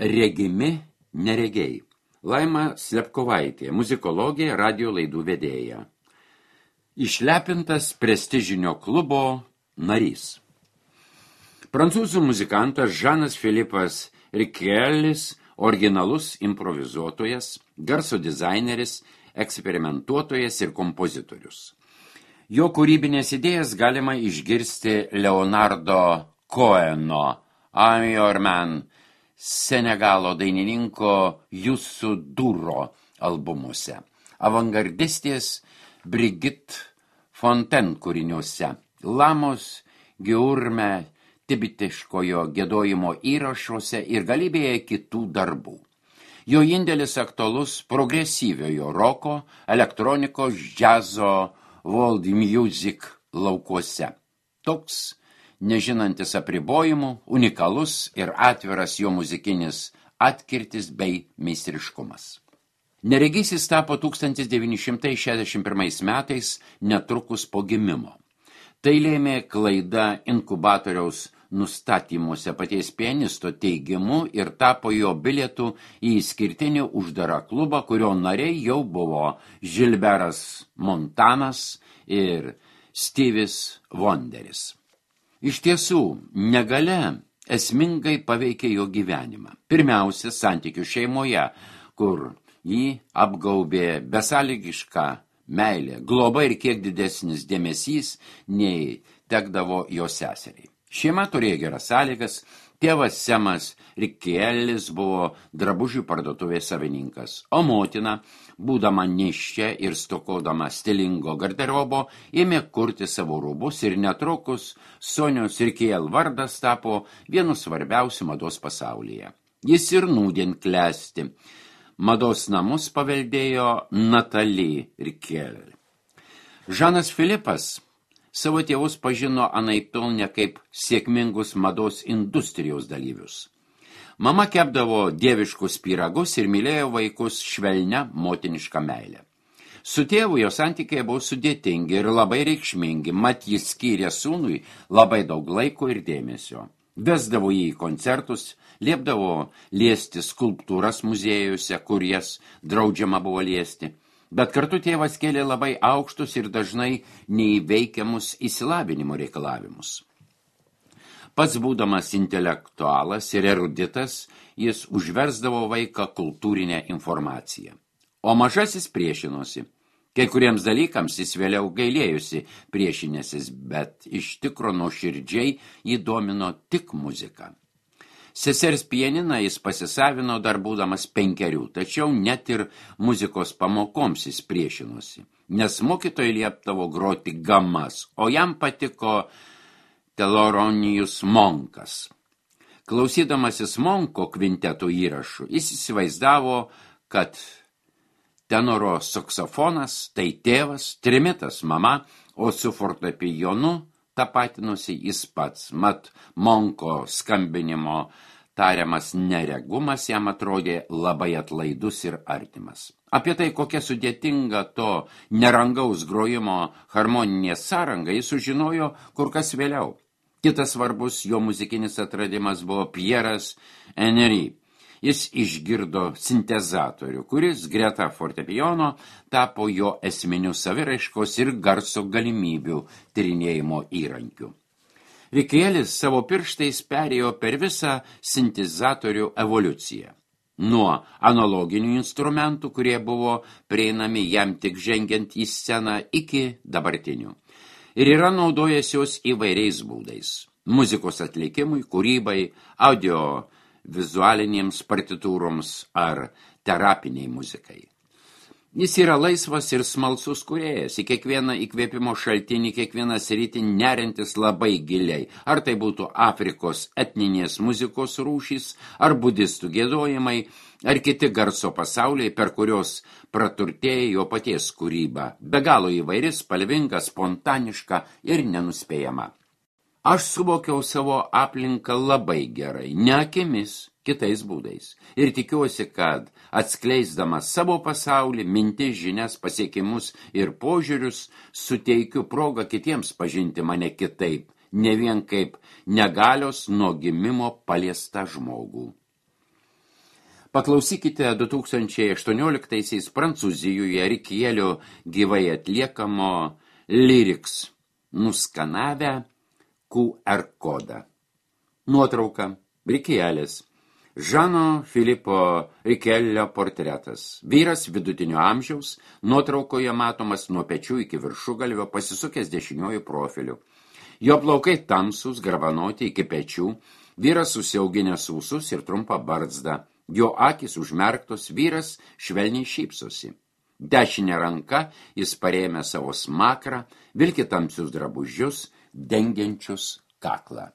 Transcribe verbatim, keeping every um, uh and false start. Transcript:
Regimi neregiai. Laima Slepkovaitė, muzikologė, radio laidų vedėja. Išlepintas prestižinio klubo narys. Prancūzų muzikantas Žanas Filipas Rikelis, originalus improvizuotojas, garso dizaineris, eksperimentuotojas ir kompozitorius. Jo kūrybinės idėjas galima išgirsti Leonardo Coheno, I'm Your Man, Senegalo dainininko Youssou N'Dour albumuose, avangardistės Brigitte Fontaine kūriniuose, Lamos Giurme tibetiškojo giedojimo įrašuose ir galybėje kitų darbų. Jo indėlis aktualus progresyviojo roko, elektronikos, džiazo, world music laukuose. Toks, nežinantis apribojimų, unikalus ir atviras jo muzikinis atkirtis bei meistriškumas. Neregisis tapo tūkstantis devyni šimtai šešiasdešimt pirmais metais netrukus po gimimo. Tai lėmė klaida inkubatoriaus nustatymuose paties pianisto teigimu ir tapo jo bilietų į išskirtinį uždarą klubą, kurio nariai jau buvo Gilbertas Montanas ir Stevie's Wonderis. Iš tiesų, negalia esmingai paveikė jo gyvenimą. Pirmiausia, santykių šeimoje, kur jį apgaubė besąlygiška meilė, globa ir kiek didesnis dėmesys nei tekdavo jo seseriai. Šeima turėjo geras sąlygas, tėvas Semas Rikelis buvo drabužių parduotuvės savininkas, o motina, būdama nėščia ir stokodama stilingo garderobo, ėmė kurti savo rūbus ir netrukus Sonios Rikel vardas tapo vienu svarbiausių mados pasaulyje. Jis ir nūdien klesti. Mados namus paveldėjo Natalie Rikel. Žanas Filipas savo tėvus pažino anaiptol ne kaip sėkmingus mados industrijos dalyvius. Mama kepdavo dieviškus pyragus ir mylėjo vaikus švelnia motiniška meilė. Su tėvu jo santykiai buvo sudėtingi ir labai reikšmingi, mat jis skyrė sūnui labai daug laiko ir dėmesio. Vesdavo jį į koncertus, liepdavo liesti skulptūras muziejuose, kur jas draudžiama buvo liesti. Bet kartu tėvas kėlė labai aukštus ir dažnai neįveikiamus išsilavinimo reikalavimus. Pats būdamas intelektualas ir eruditas, jis užversdavo vaiką kultūrinę informaciją. O mažasis priešinosi. Kai kuriems dalykams jis vėliau gailėjusi priešinėsis, bet iš tikro nuoširdžiai jį domino tik muzika. Sesers pianiną jis pasisavino dar būdamas penkerių, tačiau net ir muzikos pamokoms jis priešinosi, nes mokytojai liepdavo groti gamas, o jam patiko Thelonious Monkas. Klausydamasis Monko kvintetų įrašų, jis įsivaizdavo, kad tenoro saksofonas tai tėvas, trimitas mama, o su fortepijonu tapatinusi jis pats. Mat Monko skambinimo tariamas neregumas jam atrodė labai atlaidus ir artimas. Apie tai, kokia sudėtinga to nerangaus grojimo harmoninė sąranga, jis sužinojo kur kas vėliau. Kitas svarbus jo muzikinis atradimas buvo Pieras Henry. Jis išgirdo sintezatorių, kuris greta fortepijono tapo jo esminių saviraiškos ir garso galimybių tyrinėjimo įrankių. Rikelis savo pirštais perėjo per visą sintezatorių evoliuciją. Nuo analoginių instrumentų, kurie buvo prieinami jam tik žengiant į sceną, iki dabartinių. Ir yra naudojęs jos įvairiais būdais. Muzikos atlikimui, kūrybai, audio vizualinėms partitūroms ar terapiniai muzikai. Jis yra laisvas ir smalsus kūrėjas, į kiekvieną įkvėpimo šaltinį, kiekvieną sritį nerintis labai giliai, ar tai būtų Afrikos etninės muzikos rūšys, ar budistų giedojimai, ar kiti garso pasauliai, per kurios praturtėja jo paties kūryba, be galo įvairi, spalvinga, spontaniška ir nenuspėjama. Aš suvokiau savo aplinką labai gerai, ne akimis, kitais būdais. Ir tikiuosi, kad atskleisdamas savo pasaulį, mintis, žinias, pasiekimus ir požiūrius, suteikiu progą kitiems pažinti mane kitaip, ne vien kaip negalios nuo gimimo paliestą žmogų. Paklausykite du tūkstančiai aštuonioliktaisiais Prancūzijoje Rikielio gyvai atliekamo Lyrics nuskanavę Q R kodą. Nuotrauka Rikielis. Žano Filipo Rikelio portretas. Vyras vidutinio amžiaus, nuotraukoje matomas nuo pečių iki viršugalvio, pasisukęs dešiniuoju profiliu. Jo plaukai tamsūs, gravanoti iki pečių, vyras susiauginęs ūsus ir trumpą barzdą. Jo akys užmerktos, vyras švelniai šypsosi. Dešinė ranka jis parėmė savo smakrą, vilki tamsius drabužius, dengiančius kaklą.